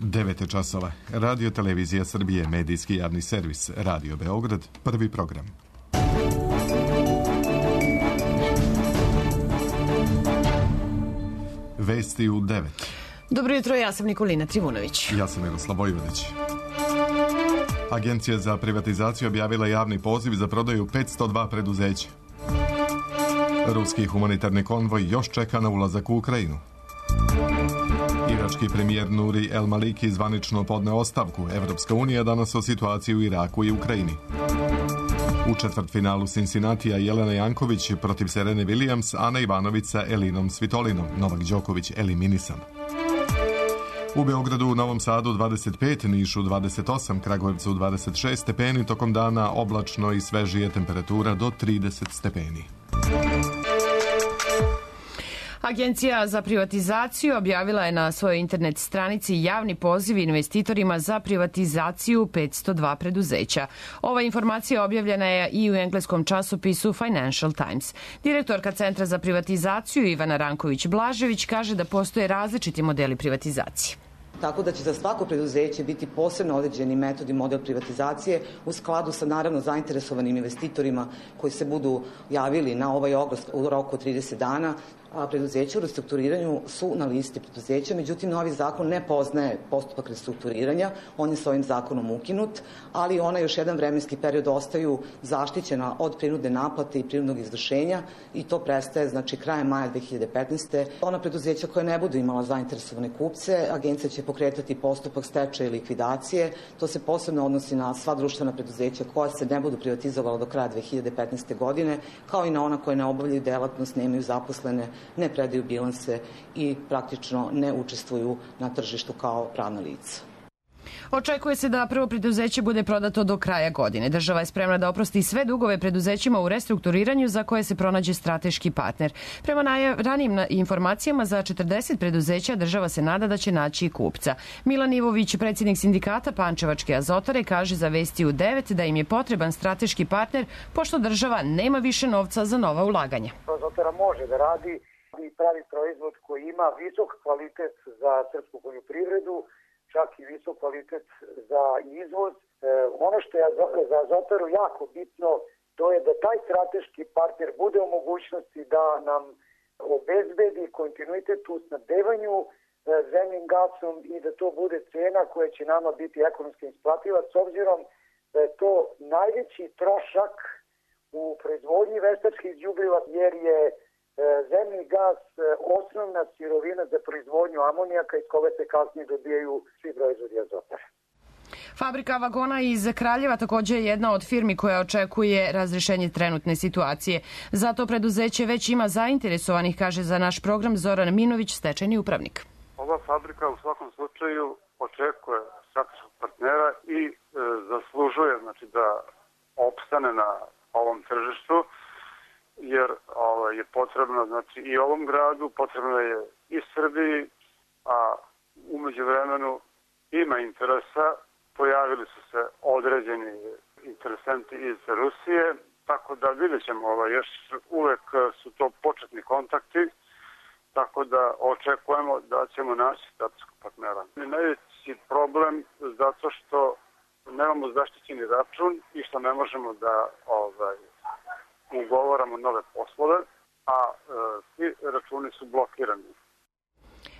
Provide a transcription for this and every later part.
9 časova. Radio Televizija Srbije, medijski javni servis, Radio Beograd, prvi program. Vesti u 9. Dobro jutro, ja sam Nikolina Trivunović. Ja sam Miroslav Vojvodić. Agencija za privatizaciju objavila javni poziv za prodaju 502 preduzeća. Ruski humanitarni konvoj još čeka na ulazak u Ukrajinu. Irački premijer Nuri El Maliki zvanično podneo ostavku. Evropska unija danas o situaciji u Iraku i Ukrajini. U četvrtfinalu Cincinnatija Jelena Janković protiv Serene Williams, Ana Ivanović sa Elinom Svitolinom. Novak Đoković eliminisan. U Beogradu, u Novom Sadu 25, Nišu 28, Kragujevcu 26 stepeni, tokom dana oblačno i svežije, temperatura do 30 stepeni. Agencija za privatizaciju objavila je na svojoj internet stranici javni poziv investitorima za privatizaciju 502 preduzeća. Ova informacija objavljena je i u engleskom časopisu Financial Times. Direktorka Centra za privatizaciju Ivana Ranković-Blažević kaže da postoje različiti modeli privatizacije. Tako da će za svako preduzeće biti posebno određeni metod i model privatizacije u skladu sa naravno zainteresovanim investitorima koji se budu javili na ovaj oglas u roku od 30 dana. Preduzeća u restrukturiranju su na listi preduzeća, međutim novi zakon ne poznaje postupak restrukturiranja, on je s ovim zakonom ukinut, ali ona još jedan vremenski period ostaju zaštićena od prinudne naplate i prinudnog izvršenja i to prestaje znači krajem maja 2015. Ona preduzeća koja ne budu imala zainteresovane kupce, agencija će pokretati postupak stečaja i likvidacije. To se posebno odnosi na sva društvena preduzeća koja se ne budu privatizovala do kraja 2015. godine, kao i na ona koja ne obavljaju delatnost, nemaju zaposlene, ne predaju bilanse i praktično ne učestvuju na tržištu kao pravna lica. Očekuje se da prvo preduzeće bude prodato do kraja godine. Država je spremna da oprosti sve dugove preduzećima u restrukturiranju za koje se pronađe strateški partner. Prema ranijim informacijama za 40 preduzeća država se nada da će naći kupca. Milan Ivović, predsjednik sindikata Pančevačke azotare, kaže za Vesti u 9 da im je potreban strateški partner pošto država nema više novca za nova ulaganja. Azotara može da radi i pravi proizvod koji ima visok kvalitet za srpsku poljoprivredu, čak i visok kvalitet za izvoz. Ono što je za Azotaru jako bitno, to je da taj strateški partner bude u mogućnosti da nam obezbedi kontinuitet u snabdevanju zemnim gasom i da to bude cena koja će nama biti ekonomski isplativa, s obzirom da je to najveći trošak u proizvodnji veštačkih đubriva, jer je zemni gas osnovna sirovina za proizvodnju amonijaka iz koga se kasnije dobijaju svi proizvodi azotara. Fabrika vagona iz Kraljeva također je jedna od firmi koja očekuje razrešenje trenutne situacije. Zato preduzeće već ima zainteresovanih, kaže za naš program Zoran Minović, stečajni upravnik. Ova fabrika u svakom slučaju očekuje strateškog partnera i zaslužuje znači, da opstane na ovom tržištu, jer je potrebno znači i ovom gradu, potrebno je i Srbiji, a umeđu vremenu ima interesa, pojavili su se određeni interesenti iz Rusije, tako da vidjet ćemo, još uvek su to početni kontakti, tako da očekujemo da ćemo naći strateškog partnera. Najveći problem zato što nemamo zaštićeni račun i što ne možemo da ugovaramo nove poslove, a svi računi su blokirani.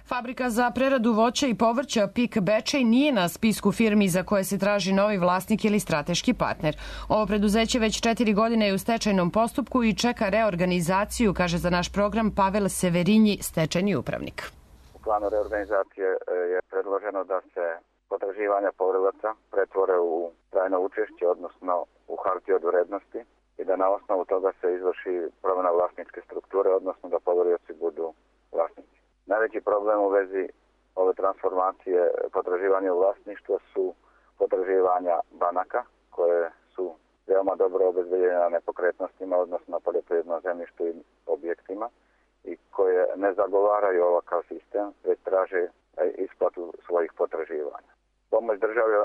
Fabrika za preradu voća i povrća PIK Bečej nije na spisku firmi za koje se traži novi vlasnik ili strateški partner. Ovo preduzeće već 4 godine je u stečajnom postupku i čeka reorganizaciju, kaže za naš program Pavel Severinji, stečajni upravnik. U planu reorganizacije je predloženo da se potraživanja poverilaca pretvore u trajno učešće, odnosno u hartije od vrednosti, i da na osnovu toga se izvrši promjena vlasničke strukture, odnosno da poverioci budu vlasnici. Najveći problem u vezi ove transformacije potraživanja u vlasništvo su potraživanja banaka, koje su veoma dobro obezbeđene na nepokretnostima, odnosno na poljoprivrednom zemljištu i objektima, i koje ne zagovaraju ovakav sistem, već traže isplatu svojih potraživanja. Pomoć države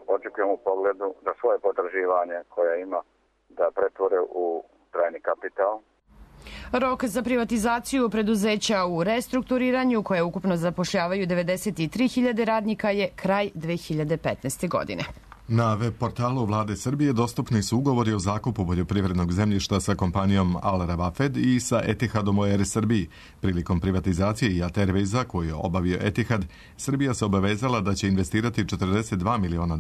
očekujemo u pogledu da svoje potraživanje koje ima da pretvore u trajni kapital. Rok za privatizaciju preduzeća u restrukturiranju, koje ukupno zapošljavaju 93.000 radnika, je kraj 2015. godine. Na web portalu Vlade Srbije dostupni su ugovori o zakupu poljoprivrednog zemljišta sa kompanijom Al Rawafed i sa Etihadom u Air Srbiji. Prilikom privatizacije Jat Airwaysa, koju je obavio Etihad, Srbija se obavezala da će investirati $42 miliona,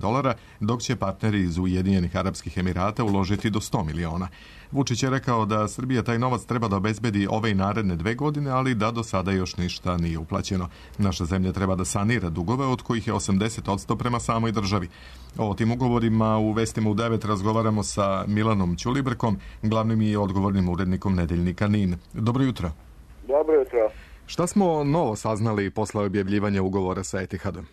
dok će partneri iz Ujedinjenih Arapskih Emirata uložiti do $100 miliona. Vučić je rekao da Srbija taj novac treba da obezbedi ove i naredne 2 godine, ali da do sada još ništa nije uplaćeno. Naša zemlja treba da sanira dugove, od kojih je 80% prema samoj državi. O tim ugovorima u Vestima u 9 razgovaramo sa Milanom Ćulibrkom, glavnim i odgovornim urednikom nedeljnika NIN. Dobro jutro. Dobro jutro. Šta smo novo saznali posle objavljivanja ugovora sa Etihadom?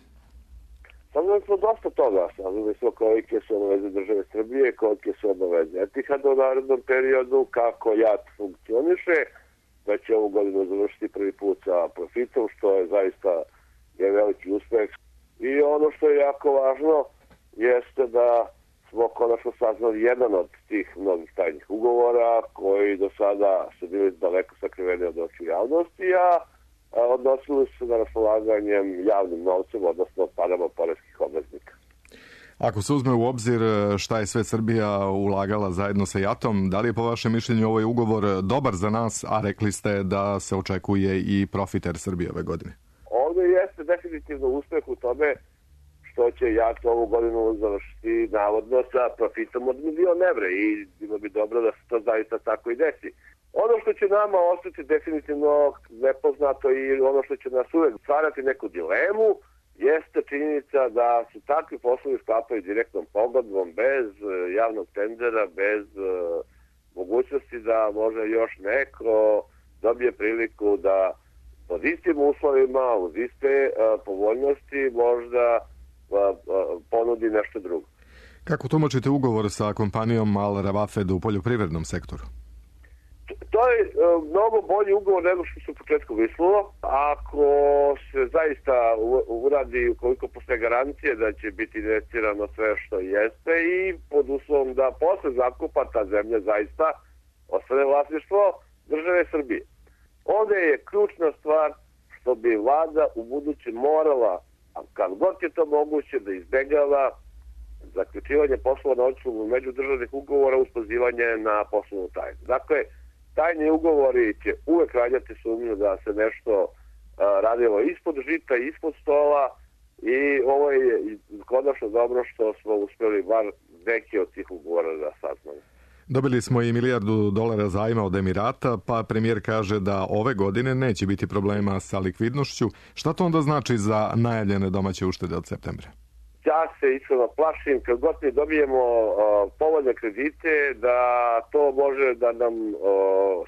Saznali smo dosta toga. Saznali smo kolike su obaveze države Srbije, kolike su obaveze Etihada u narednom periodu, kako JAT funkcioniše, da će ovu godinu završiti prvi put sa profitom, što je zaista veliki uspeh. I ono što je jako važno jeste da smo konačno saznali jedan od tih mnogih tajnih ugovora koji do sada su bili daleko sakriveni od očiju javnosti, a odnosili su se na raspolaganjem javnim novcem, odnosno parama poreskih obveznika. Ako se uzme u obzir šta je sve Srbija ulagala zajedno sa JAT-om, da li je po vašem mišljenju ovaj ugovor dobar za nas, a rekli ste da se očekuje i profit Air Srbije ove godine? Ovdje jeste definitivno uspeh u tome što će JAT ovu godinu završiti navodno sa profitom od €1.000.000 i bilo bi dobro da se to zaista tako i desi. Ono što će nama ostati definitivno nepoznato i ono što će nas uvek stvarati neku dilemu jeste činjenica da su takvi poslovi sklapaju direktnom pogodbom, bez javnog tendera, bez mogućnosti da može još neko dobije priliku da pod istim uslovima, uz iste povoljnosti možda ponudi nešto drugo. Kako tumačite ugovor sa kompanijom Al Rawafed u poljoprivrednom sektoru? To je mnogo bolji ugovor nego što se u početku mislilo. Ako se zaista uradi, ukoliko postoje garancije da će biti investirano sve što jeste i pod uslovom da posle zakupa ta zemlja zaista ostane vlasništvo države Srbije. Ovdje je ključna stvar što bi vlada u buduće morala, a kad god je to moguće, da izbegava zaključivanje poslova na osnovu međudržavnih ugovora uz pozivanje na poslovnu tajnu. Dakle, tajni ugovori će uvek rađati sumnju da se nešto radilo ispod žita, ispod stola i ovo je konačno dobro što smo uspjeli bar neke od tih ugovora da saznamo. Dobili smo i $1 milijardu zajma od Emirata, pa premijer kaže da ove godine neće biti problema sa likvidnošću. Šta to onda znači za najavljene domaće uštede od septembra? Ja se iskreno plašim, kad god mi dobijemo povoljne kredite, da to može da nam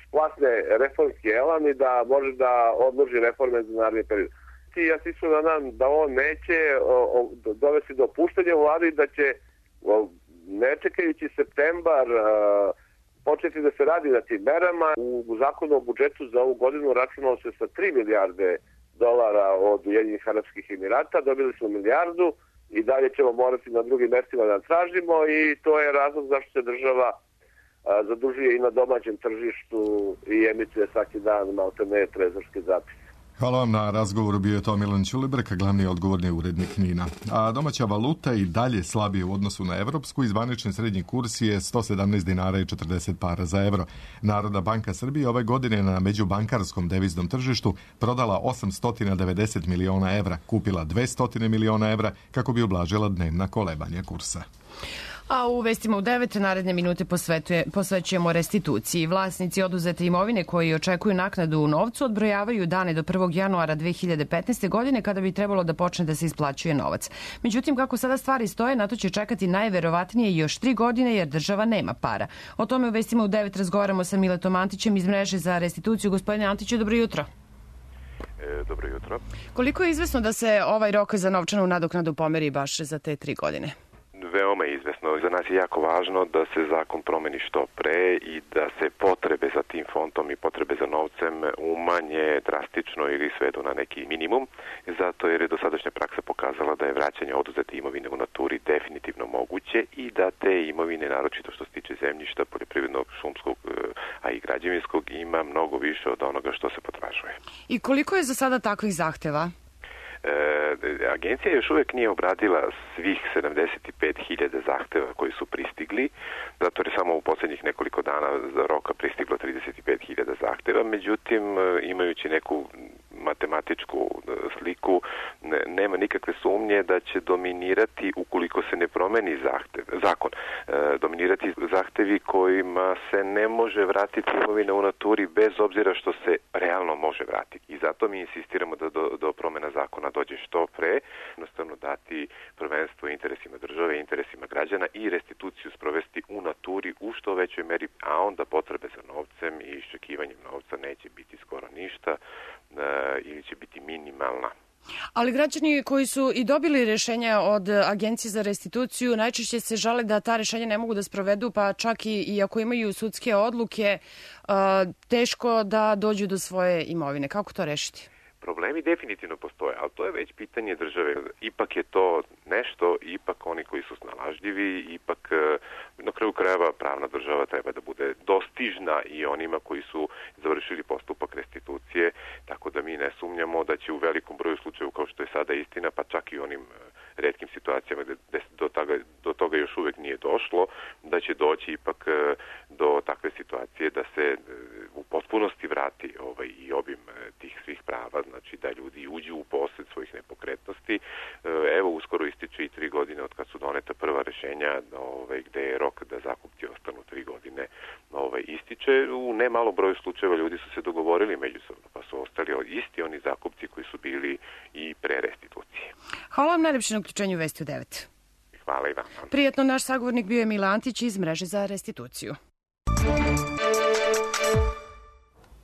splasne reformski elan i da može da odloži reforme za naredni period. Ja se iskreno nadam da on neće dovesti do opuštanja vlade i da će, ne čekajući septembar, početi da se radi na tim merama. U zakonu o budžetu za ovu godinu računalo se sa $3 milijarde od Ujedinjenih Arapskih Emirata, dobili smo milijardu i dalje ćemo morati na drugim mestima da tražimo i to je razlog zašto se država zadužuje i na domaćem tržištu i emituje svaki dan maltene trezorske zapise. Hvala vam na razgovoru, bio je to Milan Ćulibrk, glavni odgovorni urednik NIN-a. A domaća valuta i dalje slabije u odnosu na evropsku i zvanični srednji kurs je 117 dinara i 40 para za evro. Narodna banka Srbije ove godine na međubankarskom deviznom tržištu prodala 890 miliona evra, kupila 200 miliona evra kako bi ublažila dnevna kolebanja kursa. A u Vestima u 9 naredne minute posvećujemo restituciji. Vlasnici oduzete imovine koji očekuju naknadu u novcu odbrojavaju dane do 1. januara 2015. godine kada bi trebalo da počne da se isplaćuje novac. Međutim, kako sada stvari stoje, na to će čekati najverovatnije još 3 godine jer država nema para. O tome u Vestima u 9 razgovaramo sa Miletom Antićem iz mreže za restituciju. Gospodine Antiću, dobro jutro. Dobro jutro. Koliko je izvesno da se ovaj rok za novčanu nadoknadu pomeri baš za te 3 godine? veoma izvesno. Za nas je jako važno da se zakon promeni što pre i da se potrebe za tim fondom i potrebe za novcem umanje drastično ili svedu na neki minimum, zato jer je dosadašnja praksa pokazala da je vraćanje oduzete imovine u naturi definitivno moguće i da te imovine, naročito što se tiče zemljišta, poljoprivrednog, šumskog, a i građevinskog, ima mnogo više od onoga što se potražuje. I koliko je za sada takvih zahteva? Agencija još uvijek nije obradila svih 75.000 zahteva koji su pristigli, zato je samo u posljednjih nekoliko dana za roka pristiglo 35.000 zahteva, međutim, imajući neku matematičku sliku, nema nikakve sumnje da će dominirati, ukoliko se ne promeni zakon, dominirati zahtevi kojima se ne može vratiti imovina u naturi bez obzira što se realno može vratiti. I zato mi insistiramo da do promjena zakona dođe što pre, jednostavno dati prvenstvo interesima države, interesima građana i restituciju sprovesti u naturi u što većoj meri, a onda potrebe za novcem i iščekivanjem novca neće biti skoro ništa ili će biti minimalna. Ali građani koji su i dobili rješenja od Agencije za restituciju najčešće se žale da ta rješenja ne mogu da sprovedu, pa čak i ako imaju sudske odluke, teško da dođu do svoje imovine. Kako to rešiti? Problemi definitivno postoje, ali to je već pitanje države. Ipak je to nešto, ipak oni koji su snalažljivi, ipak na kraju krajeva pravna država treba da bude dostižna i onima koji su završili postupak restitucije, tako da mi ne sumnjamo da će u velikom broju slučajeva, kao što je sada istina, pa čak i onim retkim situacijama gde do toga još uvijek nije došlo, da će doći ipak do takve situacije da se u potpunosti vrati i obim tih svih prava, znači da ljudi uđu u posjed svojih nepokretnosti. Evo, uskoro ističe i 3 godine od kad su doneta prva rješenja gde je rok da zakupci ostanu 3 godine ističe. U nemalo broju slučajeva ljudi su se dogovorili međusobno, pa su ostali isti oni zakupci koji su bili i pre restitucije. Hvala vam najljepše na uključenju Vesti u 9. Hvala i vam. Prijetno, naš sagovornik bio je Mila Antić iz Mreže za restituciju.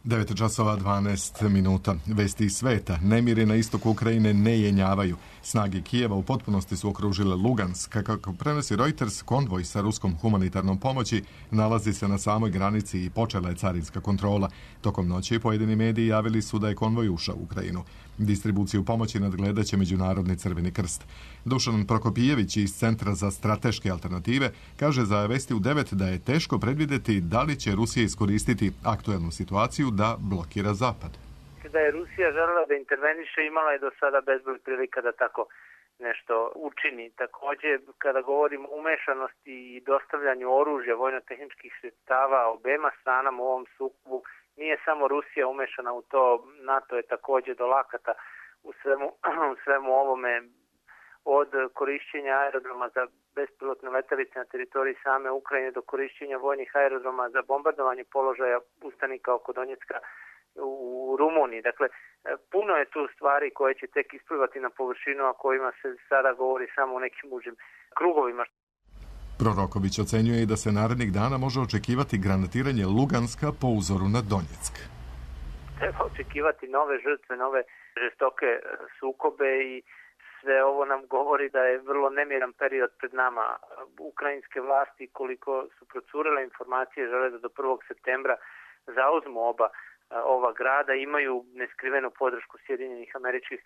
9 časova 12 minuta. Vesti iz sveta. Nemiri na istoku Ukrajine ne jenjavaju. Snage Kijeva u potpunosti su okružile Lugansk. Kako prenosi Reuters, konvoj sa ruskom humanitarnom pomoći nalazi se na samoj granici i počela je carinska kontrola. Tokom noći pojedini mediji javili su da je konvoj ušao u Ukrajinu. Distribuciju pomoći nadgledaće Međunarodni Crveni krst. Dušan Prokopijević iz Centra za strateške alternative kaže za Vesti u 9 da je teško predvidjeti da li će Rusija iskoristiti aktuelnu situaciju da blokira Zapad. Da je Rusija želela da interveniše, imala je do sada bezbroj prilika da tako nešto učini. Također, kada govorimo o umešanosti i dostavljanju oružja, vojno-tehničkih sredstava obema stranama u ovom sukobu, nije samo Rusija umešana u to, NATO je također do lakata u svemu ovome, od korišćenja aerodroma za bespilotne letelice na teritoriji same Ukrajine do korišćenja vojnih aerodroma za bombardovanje položaja ustanika oko Donjecka u Rumuniji. Dakle, puno je tu stvari koje će tek isplivati na površinu, a kojima se sada govori samo u nekim užim krugovima. Proroković ocenjuje i da se narednih dana može očekivati granatiranje Luganska po uzoru na Donjeck. Treba očekivati nove žrtve, nove žestoke sukobe i sve ovo nam govori da je vrlo nemiran period pred nama. Ukrajinske vlasti, koliko su procurile informacije, žele da do 1. septembra zauzmu ova grada, imaju neskrivenu podršku Sjedinjenih Američkih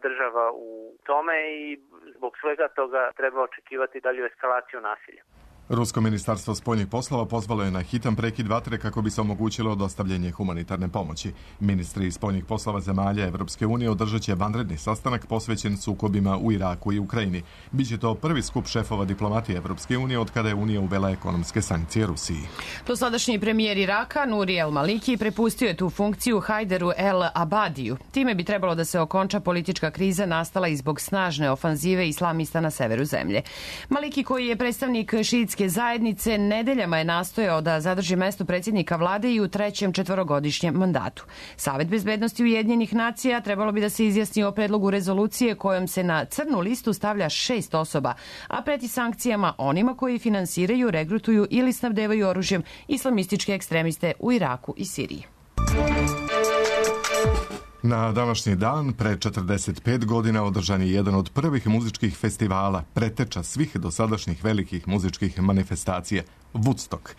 Država u tome i zbog svega toga treba očekivati dalju eskalaciju nasilja. Rusko ministarstvo spoljnih poslova pozvalo je na hitan prekid vatre kako bi se omogućilo dostavljanje humanitarne pomoći. Ministri spoljnih poslova zemalja Evropske unije održat će vanredni sastanak posvećen sukobima u Iraku i Ukrajini. Biće to prvi skup šefova diplomatije Evropske unije od kada je Unija uvela ekonomske sankcije Rusiji. Dosadašnji premijer Iraka, Nuri El Maliki, prepustio je tu funkciju Hajderu El Abadiju. Time bi trebalo da se okonča politička kriza nastala i zbog snažne ofanzive islamista na severu zemlje. Maliki, koji je predstavnik šiitske zajednice, nedeljama je nastojao da zadrži mesto predsjednika vlade i u 3. četvorogodišnjem mandatu. Savet bezbednosti Ujedinjenih nacija trebalo bi da se izjasni o predlogu rezolucije kojom se na crnu listu stavlja 6 osoba, a preti sankcijama onima koji finansiraju, regrutuju ili snabdevaju oružjem islamističke ekstremiste u Iraku i Siriji. Na današnji dan, pre 45 godina, održan je jedan od prvih muzičkih festivala, preteča svih dosadašnjih velikih muzičkih manifestacija, Woodstock.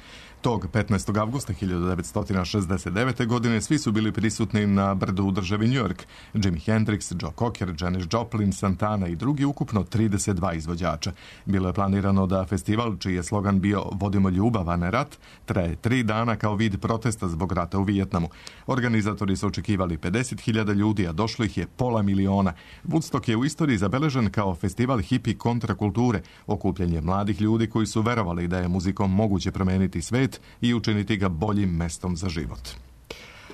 Tog 15. avgusta 1969. godine svi su bili prisutni na brdu u državi New York. Jimi Hendrix, Joe Cocker, Janis Joplin, Santana i drugi, ukupno 32 izvođača. Bilo je planirano da festival, čiji je slogan bio Vodimo ljubav, a ne rat, traje 3 dana kao vid protesta zbog rata u Vijetnamu. Organizatori su očekivali 50.000 ljudi, a došlo ih je 500.000. Woodstock je u istoriji zabeležen kao festival hipi kontrakulture, okupljanje mladih ljudi koji su verovali da je muzikom moguće promeniti svet i učiniti ga boljim mestom za život.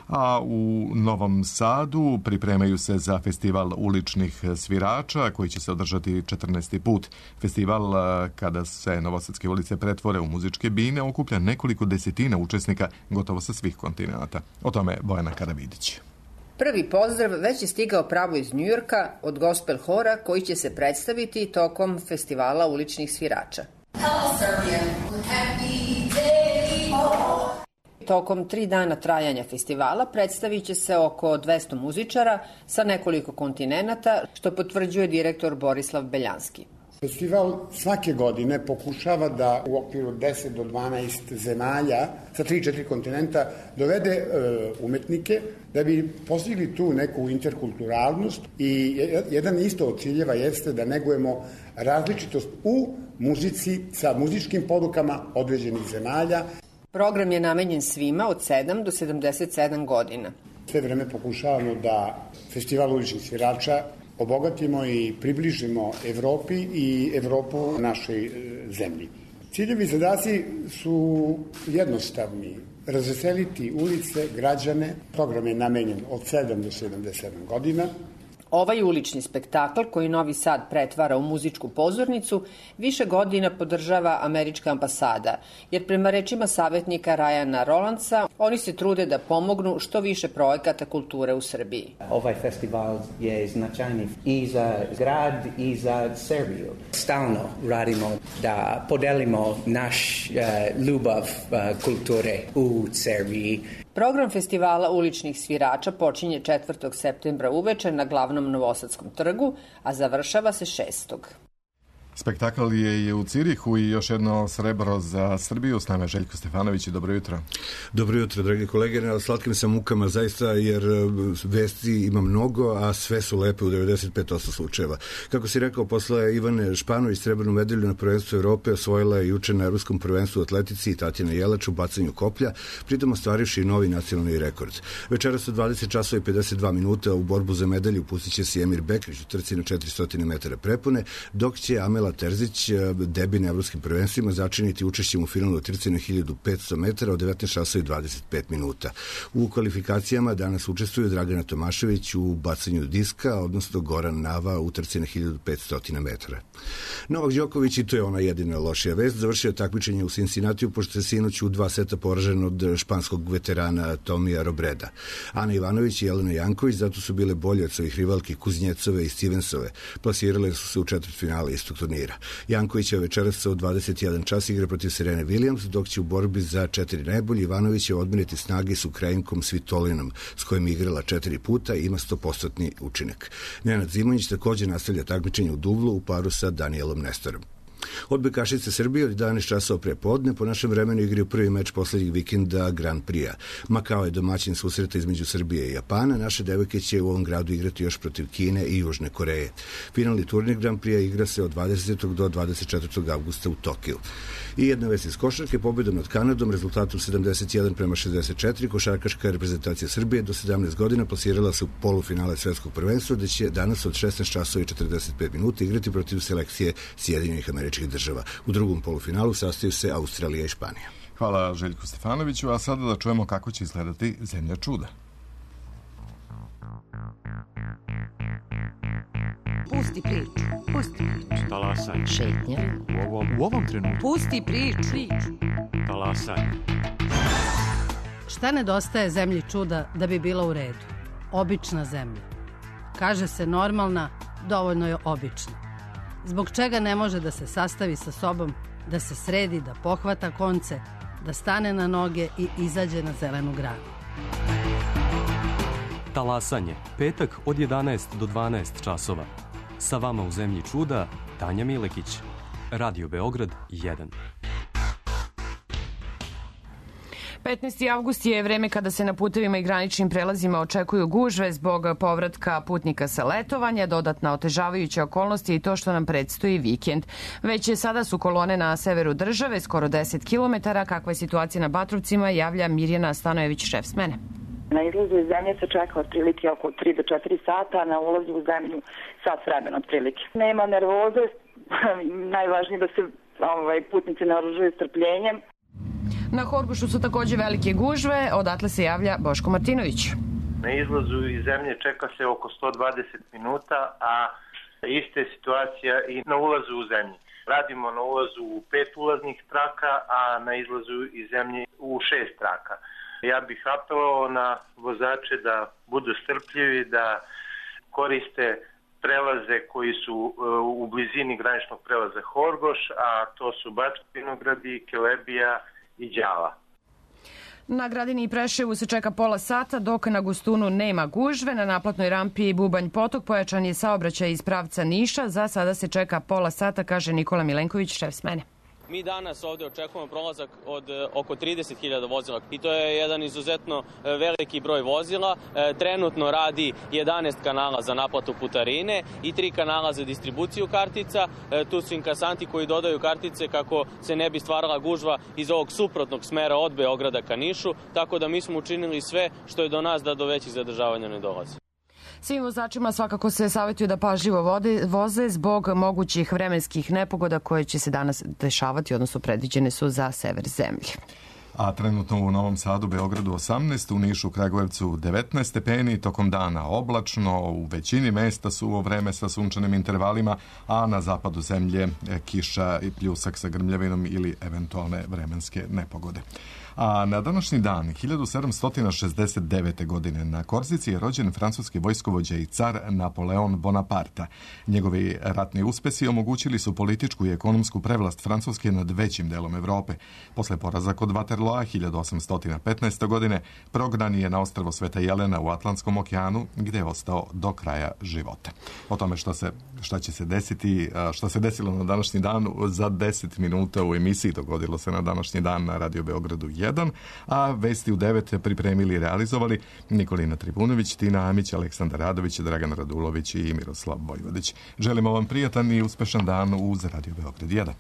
A u Novom Sadu pripremaju se za festival uličnih svirača koji će se održati 14. put. Festival, kada se novosadske ulice pretvore u muzičke bine, okuplja nekoliko desetina učesnika gotovo sa svih kontinenta. O tome Bojana Karavidić. Prvi pozdrav već je stigao pravo iz Njujorka od gospel hora koji će se predstaviti tokom festivala uličnih svirača. Tokom 3 dana trajanja festivala predstavit će se oko 200 muzičara sa nekoliko kontinenata, što potvrđuje direktor Borislav Beljanski. Festival svake godine pokušava da u okviru 10 do 12 zemalja sa 3-4 kontinenta dovede umetnike da bi postigli tu neku interkulturalnost i jedan isto od ciljeva jeste da negujemo različitost u muzici sa muzičkim porukama određenih zemalja. Program je namenjen svima od 7 do 77 godina. Sve vreme pokušavamo da festival uličnih svirača obogatimo i približimo Evropi i Evropu našoj zemlji. Ciljevi i zadaci su jednostavni. Razveseliti ulice, građane. Program je namenjen od 7 do 77 godina. Ovaj ulični spektakl, koji Novi Sad pretvara u muzičku pozornicu, više godina podržava američka ambasada, jer prema rečima savjetnika Ryana Rolandsa, oni se trude da pomognu što više projekata kulture u Srbiji. Ovaj festival je značajni i za grad i za Srbiju. Stalno radimo da podelimo naš ljubav kulture u Srbiji. Program festivala uličnih svirača počinje 4. septembra uveče na glavnom Novosadskom trgu, a završava se 6. Spektakl je i u Cirihu i još jedno srebro za Srbiju. S nama je Željko Stefanović i dobro jutro. Dobro jutro, dragi kolege. Na slatkim sam mukama zaista, jer vesti ima mnogo, a sve su lepe u 95% slučajeva. Kako si rekao, posle Ivane Španović srebrnu medalju na prvenstvu Evrope osvojila je juče na Evropskom prvenstvu u atletici i Tatjana Jelač u bacanju koplja, pritom ostvarivši novi nacionalni rekord. Večeras u 20 časova i 52 minuta u borbu za medalju pustit će se Emir Bekrić u trci na 400 metara prepone, dok će Amela Terzić, debi na evropskim prvenstvima, začiniti učešćem u finalu trci na 1500 metara od 19 časova i 25 minuta. U kvalifikacijama danas učestvuju Dragana Tomašević u bacanju diska, odnosno Goran Nava u trci na 1500 metara. Novak Đoković, i to je ona jedina lošija vest, završio takmičenje u Cincinnatiju, pošto je sinoć u 2 seta poražen od španskog veterana Tomija Robreda. Ana Ivanović i Jelena Janković zato su bile bolje od svojih rivalki Kuznjecove i Stevensove. Plasirale su se u četvrtfinale istog turnira. Janković je večeras od 21 čas igra protiv Serene Williams, dok će u borbi za 4 najbolji Ivanović će odmeriti snage s Ukrajinkom Svitolinom, s kojim je igrala 4 puta i ima 100% učinak. Nenad Zimonjić također nastavlja takmičenje u duvlu u paru sa Danielom Nestorom. Odbojkašice Srbije od 11 časova pre podne po našem vremenu igraju prvi meč poslednjeg vikenda Grand Prix-a. Makao je domaćin susreta između Srbije i Japana. Naše devojke će u ovom gradu igrati još protiv Kine i Južne Koreje. Finalni turnir Grand Prix-a igra se od 20. do 24. avgusta u Tokiju. I jedna vest iz košarke, pobedom nad Kanadom, rezultatom 71-64, košarkaška reprezentacija Srbije do 17 godina plasirala se u polufinale svetskog prvenstva, gde će danas od 16 časova i 45 minuta igrati protiv selekcije Sjedinjenih Američkih Država. U drugom polufinalu sastaju se Australija i Španija. Hvala Željku Stefanoviću, a sada da čujemo kako će izgledati Zemlja čuda. Pusti priču. Pusti priču. Talasaj. Šetnja. U ovom trenutku. Pusti priču. Talasaj. Šta nedostaje zemlji čuda da bi bila u redu? Obična zemlja. Kaže se normalna, dovoljno je obična. Zbog čega ne može da se sastavi sa sobom, da se sredi, da pohvata konce, da stane na noge i izađe na zelenu granu? Talasanje, petak od 11 do 12 časova. Sa vama u zemlji čuda, Tanja Milekić. Radio Beograd 1. 15. avgust je vreme kada se na putevima i graničnim prelazima očekuju gužve zbog povratka putnika sa letovanja, dodatna otežavajuća okolnosti i to što nam predstoji vikend. Već sada su kolone na severu države, skoro 10 km. Kakva je situacija na Batrovcima, javlja Mirjana Stanojević, šef smene. Na izlazu iz zemlje se čeka otprilike oko 3 do 4 sata, a na ulazu u zemlju sat vremena otprilike. Nema nervoze, najvažnije da se putnici naoružuju strpljenjem. Na Horgošu su takođe velike gužve, odatle se javlja Boško Martinović. Na izlazu iz zemlje čeka se oko 120 minuta, a ista je situacija i na ulazu u zemlji. Radimo na ulazu u 5 ulaznih traka, a na izlazu iz zemlje u 6 traka. Ja bih apelovao na vozače da budu strpljivi, da koriste prelaze koji su u blizini graničnog prelaza Horgoš, a to su Bački Vinogradi, Kelebija i Đala. Na Gradini i Preševu se čeka pola sata, dok na Gustunu nema gužve. Na naplatnoj rampi Bubanj Potok pojačan je saobraćaj iz pravca Niša. Za sada se čeka pola sata, kaže Nikola Milenković, šef smene. Mi danas ovde očekujemo prolazak od oko 30.000 vozila i to je jedan izuzetno veliki broj vozila. Trenutno radi 11 kanala za naplatu putarine i 3 kanala za distribuciju kartica. Tu su inkasanti koji dodaju kartice kako se ne bi stvarala gužva iz ovog suprotnog smera od Beograda ka Nišu, tako da mi smo učinili sve što je do nas da do većih zadržavanja ne dolazi. Svim vozačima svakako se savjetuju da pažljivo voze zbog mogućih vremenskih nepogoda koje će se danas dešavati, odnosno predviđene su za sever zemlje. A trenutno u Novom Sadu, Beogradu 18, u Nišu, Kragujevcu 19 stepeni, tokom dana oblačno, u većini mesta suvo vreme sa sunčanim intervalima, a na zapadu zemlje kiša i pljusak sa grmljavinom ili eventualne vremenske nepogode. A na današnji dan, 1769. godine, na Korzici je rođen francuski vojskovođa i car Napoleon Bonaparte. Njegovi ratni uspesi omogućili su političku i ekonomsku prevlast Francuske nad većim delom Evrope. Posle poraza kod Waterloa 1815. godine prognan je na ostrvo Sveta Jelena u Atlantskom okeanu, gde je ostao do kraja života. O tome šta će se desiti, šta se desilo na današnji dan za 10 minuta u emisiji dogodilo se na današnji dan na Radio Beogradu 1, a vesti u 9 pripremili i realizovali Nikolina Tribunović, Tina Amić, Aleksandar Radović, Dragan Radulović i Miroslav Vojvodić. Želimo vam prijatan i uspešan dan uz Radio Beograd 1.